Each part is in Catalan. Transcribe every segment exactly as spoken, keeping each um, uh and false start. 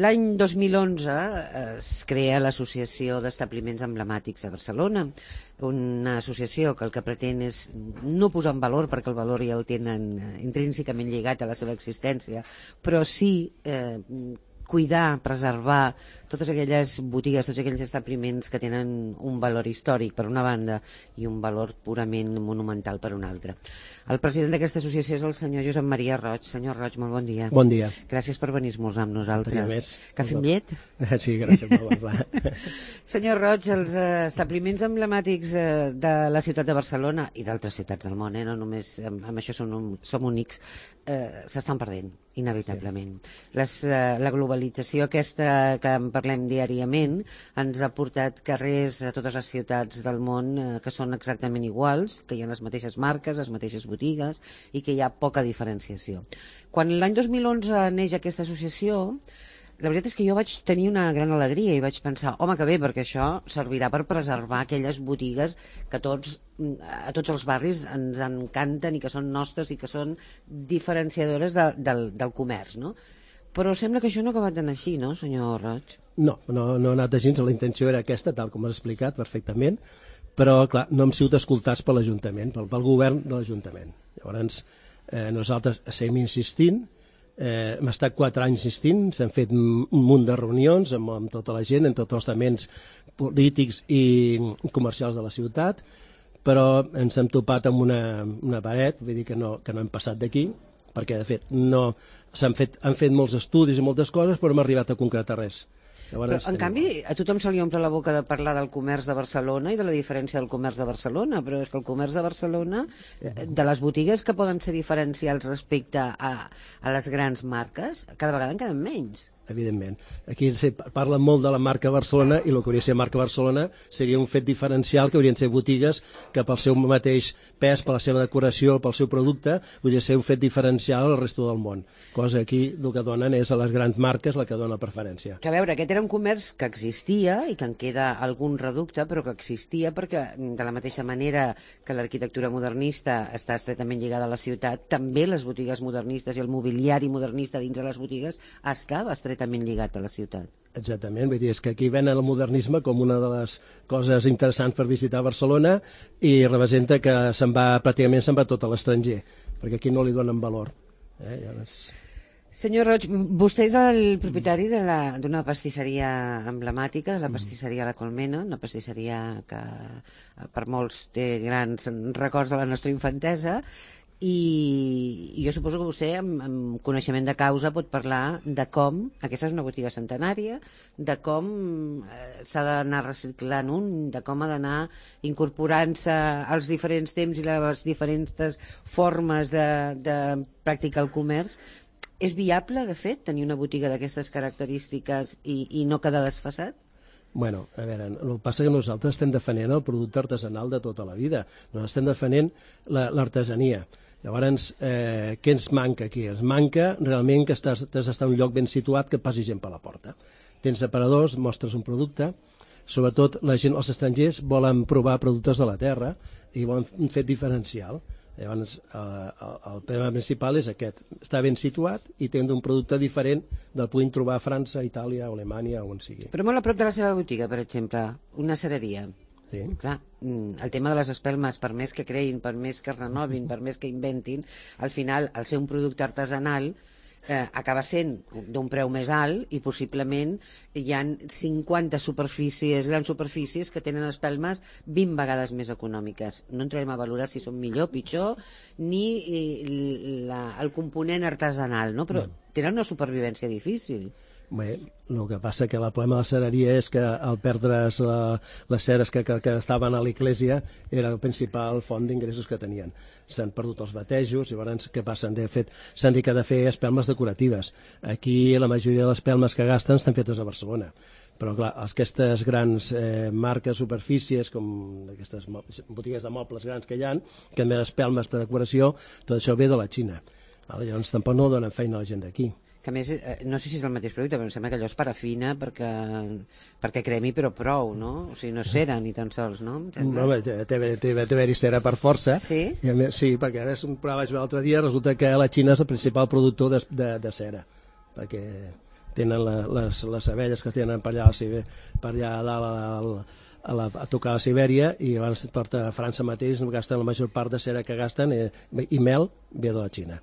L'any dos mil onze es crea l'Associació d'Establiments Emblemàtics a Barcelona, una associació que el que pretén és no posar en valor, perquè el valor ja el tenen intrínsecament lligat a la seva existència, però sí eh, cuidar, preservar totes aquelles botigues, tots aquells establiments que tenen un valor històric per una banda i un valor purament monumental per una altra. El president d'aquesta associació és el senyor Josep Maria Roig. Senyor Roig, molt bon dia. Bon dia. Gràcies per venir a esmorzar amb nosaltres. Cafè amb bon. llet? Sí, gràcies. Molt bon. Senyor Roig, els establiments emblemàtics de la ciutat de Barcelona i d'altres ciutats del món, eh, no només amb això som, som únics, eh, s'estan perdent, inevitablement. Sí. Les, eh, la globalització aquesta que en parlem diàriament ens ha portat carrers a totes les ciutats del món eh, que són exactament iguals, que hi ha les mateixes marques, les mateixes botigues i que hi ha poca diferenciació. Quan l'any dos mil onze neix aquesta associació, la veritat és que jo vaig tenir una gran alegria i vaig pensar, home, que bé, perquè això servirà per preservar aquelles botigues que tots, a tots els barris ens encanten i que són nostres i que són diferenciadores de, del, del comerç, no? Però sembla que això no ha acabat d'anar així, no, senyor Roig? No, no, no ha anat així, la intenció era aquesta, tal com has explicat perfectament, però, clar, no hem sigut escoltats per l'Ajuntament, pel, pel govern de l'Ajuntament. Llavors, eh, nosaltres seguim insistint, eh, hem estat quatre anys insistint, s'han fet un munt de reunions amb, amb tota la gent, en tots els estaments polítics i comercials de la ciutat, però ens hem topat amb una, una paret, vull dir que no, que no hem passat d'aquí, perquè, de fet, no, s'han fet, han fet molts estudis i moltes coses, però no hem arribat a concretar res. Però, en canvi, a tothom se li omple la boca de parlar del comerç de Barcelona i de la diferència del comerç de Barcelona, però és que el comerç de Barcelona, de les botigues que poden ser diferencials respecte a, a les grans marques, cada vegada en queden menys. Evidentment. Aquí se parla molt de la marca Barcelona i el que hauria de ser marca Barcelona seria un fet diferencial que haurien de ser botigues que pel seu mateix pes, per la seva decoració, pel seu producte, hauria de ser un fet diferencial al resto del món. Cosa aquí el que donen és a les grans marques la que dona preferència. Que a veure, aquest era un comerç que existia i que en queda algun reducte, però que existia perquè de la mateixa manera que l'arquitectura modernista està estretament lligada a la ciutat, també les botigues modernistes i el mobiliari modernista dins de les botigues estava estretament lligat a la ciutat. Exactament, vull dir, és que aquí venen el modernisme com una de les coses interessants per visitar Barcelona i representa que se'n va, pràcticament se'n va tot a l'estranger, perquè aquí no li donen valor. Eh? Llavors... Senyor Roig, vostè és el propietari d'una pastisseria emblemàtica, de la pastisseria La Colmena, una pastisseria que per molts té grans records de la nostra infantesa, i jo suposo que vostè amb, amb coneixement de causa pot parlar de com, aquesta és una botiga centenària, de com eh, s'ha d'anar reciclant un, de com ha d'anar incorporant-se als diferents temps i les diferents formes de, de practicar el comerç. És viable, de fet, tenir una botiga d'aquestes característiques i, i no quedar desfasat? Bueno, a veure, el que passa que nosaltres estem defendent el producte artesanal de tota la vida. Nosaltres estem defendent l'artesania. Llavors, eh, què ens manca aquí? Ens manca realment que estàs, has d'estar en un lloc ben situat que passi gent per la porta. Tens aparadors, mostres un producte, sobretot la gent, els estrangers volen provar productes de la terra i volen un fet diferencial. Llavors, eh, el tema principal és aquest, està ben situat i té un producte diferent del que puguin trobar a França, Itàlia o Alemanya o on sigui. Però molt a prop de la seva botiga, per exemple, una cereria. Sí. Clar, el tema de les espelmes, per més que creïn, per més que renovin, per més que inventin, al final, al ser un producte artesanal, eh, acaba sent d'un preu més alt i possiblement hi ha cinquanta superfícies, grans superfícies que tenen espelmes vint vegades més econòmiques. No entrarem a valorar si són millor, pitjor, ni la, el component artesanal, no? Però tenen una supervivència difícil. Bé, el que passa que el problema de la cereria és que al perdre's la, les ceres que, que, que estaven a l'església era el principal font d'ingressos que tenien. S'han perdut els batejos, llavors què passa? De fet, s'han dedicat a fer espelmes decoratives. Aquí la majoria de les espelmes que gasten estan fetes a Barcelona. Però clar, aquestes grans eh, marques, superfícies, com aquestes botigues de mobles grans que hi ha, que també espelmes de decoració, tot això ve de la Xina. Llavors tampoc no donen feina a la gent d'aquí. Que a més, no sé si és el mateix producte, però em sembla que allò és parafina perquè, perquè cremi, però prou, no? O sigui, no és cera ni tan sols, no? No, té d'haver-hi cera per força. Sí? I a més, sí, perquè ara un programa vaig veure l'altre dia, resulta que la Xina és el principal productor de, de, de cera, perquè tenen la, les, les abelles que tenen per allà, per allà a dalt a, a, la, a tocar a Sibèria, i abans porta a França mateix, gasten la major part de cera que gasten, i, i mel ve de la Xina.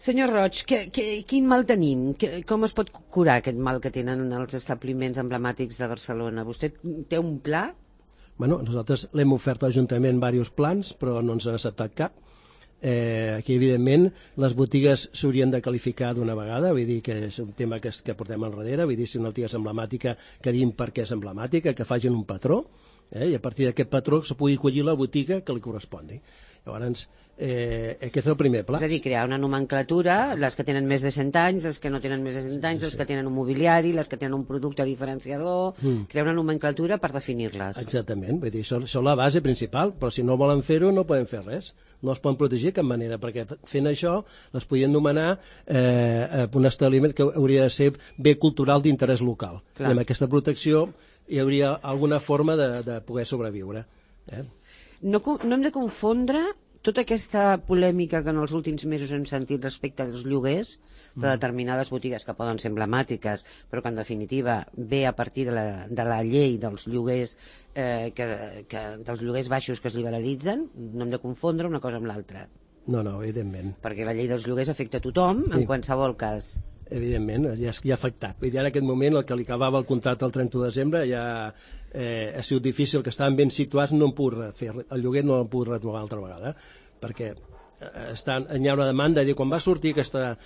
Senyor Roig, que, que, quin mal tenim? Que, com es pot curar aquest mal que tenen els establiments emblemàtics de Barcelona? Vostè té un pla? Bueno, nosaltres l'hem ofert a l'Ajuntament diversos plans, però no ens han acceptat cap. Eh, aquí, evidentment, les botigues s'haurien de qualificar d'una vegada, vull dir que és un tema que, que portem enrere, vull dir, si una botiga és emblemàtica, que diguin per què és emblemàtica, que facin un patró, eh, i a partir d'aquest patró se pugui collir la botiga que li correspongui. Llavors, eh, aquest és el primer pla. És a dir, crear una nomenclatura, les que tenen més de cent anys, les que no tenen més de cent anys, les que tenen un mobiliari, les que tenen un producte diferenciador, mm. crear una nomenclatura per definir-les. Exactament, vull dir, això, això és la base principal, però si no volen fer-ho no poden fer res, no es poden protegir de cap manera, perquè fent això les podien nomenar eh, un establiment que hauria de ser bé cultural d'interès local. Clar. I amb aquesta protecció hi hauria alguna forma de, de poder sobreviure. Eh? No, no hem de confondre tota aquesta polèmica que en els últims mesos hem sentit respecte als lloguers de determinades botigues que poden ser emblemàtiques, però que en definitiva ve a partir de la, de la llei dels lloguers, eh, que, que, dels lloguers baixos que es liberalitzen. No hem de confondre una cosa amb l'altra. No, no, evidentment. Perquè la llei dels lloguers afecta a tothom, sí. En qualsevol cas. Evidentment, ja, ja ha afectat. Vull dir, en aquest moment, el que li acabava el contracte el trenta de desembre, ja eh, ha sigut difícil, que estaven ben situats, no han pogut fer el lloguer, no l'han pogut renovar altra vegada, perquè estan, hi ha una demanda, i quan va sortir aquesta,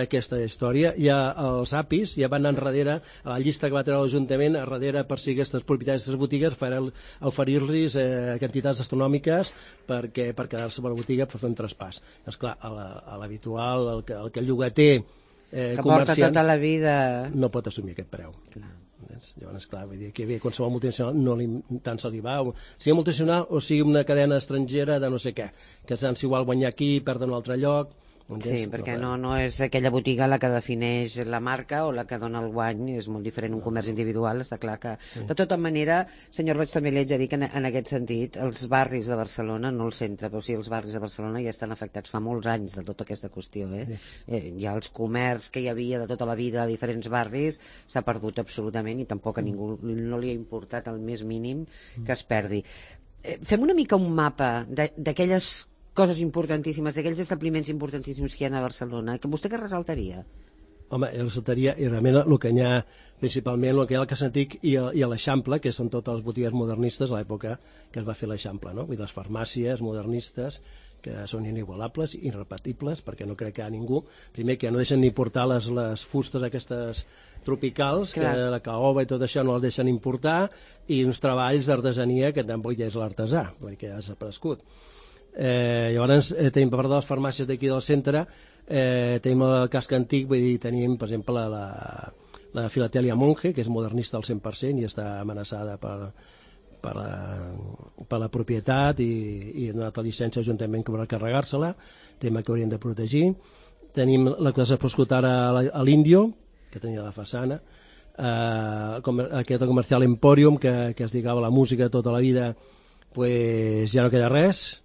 aquesta història, ja els A P Is ja van anar enrere, a la llista que va treure l'Ajuntament, a darrere per si aquestes propietaris d'aquestes botigues oferir-los eh, quantitats astronòmiques perquè, per quedar-se a la botiga per fer un traspàs. Esclar, a l'habitual, el, el que el llogater Eh, que porta tota la vida... no pot assumir aquest preu. Clar. Llavors, clar, vull dir que bé, qualsevol multinacional no li, tant se li va, o sigui multinacional o sigui una cadena estrangera de no sé què, que s'han igual guanyar aquí, perdre en un altre lloc. Sí, perquè no, no és aquella botiga la que defineix la marca o la que dona el guany, és molt diferent un comerç individual, està clar que... De tota manera, senyor Roig, també li haig de dir que en, en aquest sentit, els barris de Barcelona, no el centre, però sí els barris de Barcelona ja estan afectats fa molts anys de tota aquesta qüestió. Eh? Sí. Eh, ja els comerç que hi havia de tota la vida a diferents barris s'ha perdut absolutament i tampoc a ningú no li ha importat el més mínim que es perdi. Eh, fem una mica un mapa d'aquelles coses importantíssimes, d'aquells establiments importantíssims que hi ha a Barcelona, que vostè què ressaltaria? Home, jo ressaltaria, i realment el que hi ha principalment, el que hi ha al Cas Antic i a, i a l'Eixample, que són totes les botigues modernistes a l'època que es va fer l'Eixample, no? I les farmàcies modernistes, que són inigualables, irrepetibles, perquè no crec que hi ha ningú. Primer, que no deixen ni portar les, les fustes aquestes tropicals, Clar. que la caoba i tot això no les deixen importar, i uns treballs d'artesania que tampoc ja és l'artesà, perquè ja s'ha prescut. Eh, llavors eh, tenim per part de les farmàcies d'aquí del centre, eh, tenim el casc antic, vull dir, tenim per exemple la, la Filatèlia Monge, que és modernista al cent per cent i està amenaçada per, per, la, per la propietat i, i ha donat la llicència a l'Ajuntament que haurà de carregar-se-la, tema que hauríem de protegir. Tenim la que s'ha proscut ara a l'Índio, que tenia la façana, eh, aquest comercial Emporium, que, que es dedicava a la música tota la vida, pues ja no queda res.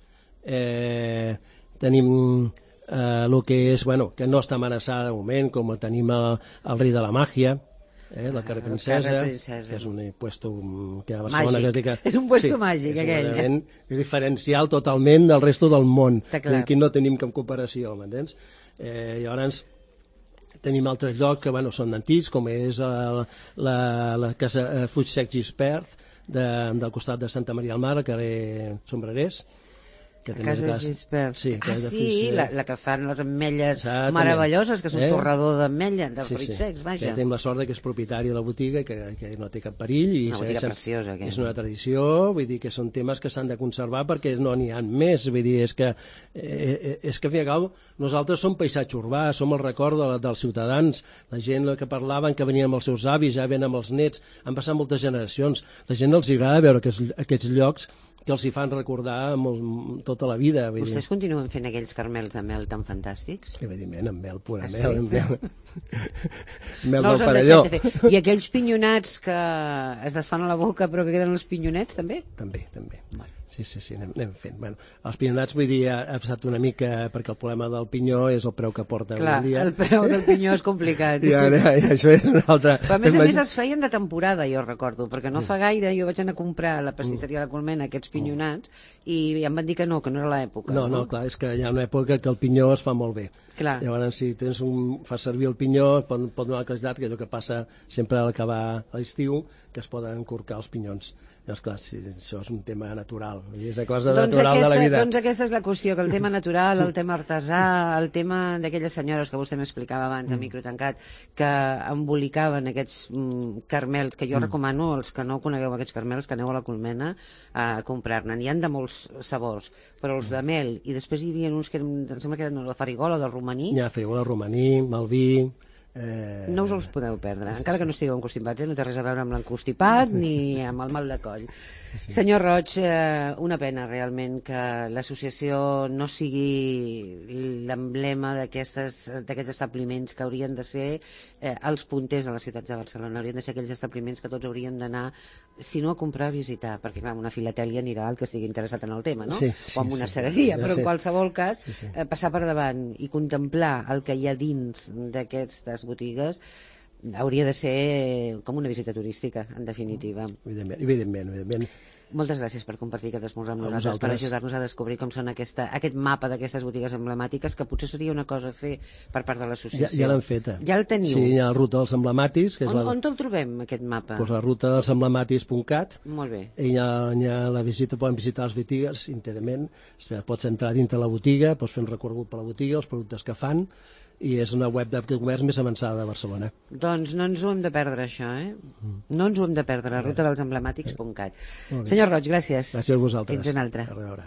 Eh, tenim eh, el que és, bueno, que no està amenaçada de moment, com tenim el, el rei de la màgia, eh, la carrer Princesa, que és un puesto que a Barcelona que es diu que... És un puesto sí, màgic, és aquell. Un diferencial totalment del resto del món. Aquí no tenim cap comparació, m'entens? Eh, llavors tenim altres llocs que bueno, són antics, com és el, la, la casa Fuig Sec Gispert, de, del costat de Santa Maria al Mar, al carrer Sombrerers, que a casa Gispert. Sí, ah, sí, Fuig, la, la que fan les ametlles Exactament. meravelloses, que és un eh? torrador d'ametlla, dels sí, fruits sí. secs, vaja. Que tenim la sort que és propietari de la botiga, que, que no té cap perill. I una botiga preciosa. Aquesta. És una tradició, vull dir que són temes que s'han de conservar perquè no n'hi ha més. Vull dir, és que, eh, és que, al final, nosaltres som paisatge urbà, som el record de, dels ciutadans, la gent que parlaven, que venien amb els seus avis, ja ven amb els nets, han passat moltes generacions. La gent els agrada veure aquests, aquests llocs que els hi fan recordar molt, tota la vida. Vostès dir. Continuen fent aquells carmels de mel tan fantàstics? Evidentment, amb mel, pura ah, mel. Sí? mel mel no del parelló. De fer. I aquells pinyonats que es desfan a la boca però que queden els pinyonets, també? També, també. Bueno. Sí, sí, sí, anem, anem fent. Bueno, els pinyonats, vull dir, ha, ha passat una mica, perquè el problema del pinyó és el preu que porta Clar, avui en dia. el preu del pinyó és complicat. I ara, i això és una altra... Però a més a més es feien de temporada, jo recordo, perquè no fa gaire jo vaig anar a comprar a la pastisseria de la Colmena aquests pinyonats i em van dir que no, que no era l'època. No, no, clar, és que hi ha una època que el pinyó es fa molt bé. Clar. Llavors, si tens un, fas servir el pinyó, pot, pot donar la qualitat, que és el que passa sempre a l'acabar l'estiu, que es poden encorcar els pinyons. Llavors, clar, sí, això és un tema natural, és una cosa doncs natural aquesta, de la vida. Doncs aquesta és la qüestió, que el tema natural, el tema artesà, el tema d'aquelles senyores que vostè m'explicava abans, a micro tancat, que embolicaven aquests mm, carmels, que jo mm. recomano, els que no conegueu aquests carmels, que aneu a la Colmena a comprar-ne. N'hi han de molts sabors, però els de mel, i després hi havia uns que em sembla que eren de farigola, del romaní. Hi ha farigola, romaní, malví... Eh... No us els podeu perdre, encara que no estigueu encostipats, eh? No té res a veure amb l'encostipat ni amb el mal de coll. Sí. Senyor Roig, eh, una pena realment que l'associació no sigui l'emblema d'aquests establiments que haurien de ser eh, els punters de les ciutats de Barcelona, haurien de ser aquells establiments que tots hauríem d'anar, si no a comprar, a visitar, perquè clar, una filatèlia anirà al que estigui interessat en el tema, no? Sí, sí, o en una sí, cereria, sí, però sí. en qualsevol cas, sí, sí. Eh, passar per davant i contemplar el que hi ha dins d'aquestes botigues hauria de ser com una visita turística, en definitiva. Evidentment, evidentment, evidentment. Moltes gràcies per compartir aquest esmorzar amb A nosaltres, vosaltres. per ajudar-nos a descobrir com són aquesta, aquest mapa d'aquestes botigues emblemàtiques, que potser seria una cosa a fer per part de Ja, l'associació. ja l'han feta. Ja el teniu? Sí, hi ha la ruta dels emblemàtics. Que és On, la, on te'l trobem, aquest mapa? Doncs la ruta dels emblemàtics punt cat. Molt bé. I hi ha, hi ha la visita, poden visitar les botigues íntegrament. Pots entrar dintre la botiga, pots fer un recorregut per la botiga, els productes que fan, i és una web de comerç més avançada de Barcelona. Doncs no ens ho hem de perdre, això, eh? No ens ho hem de perdre, la ruta dels emblemàtics punt cat. Senyor Roig, gràcies. Gràcies a vosaltres. Fins una altra. A veure.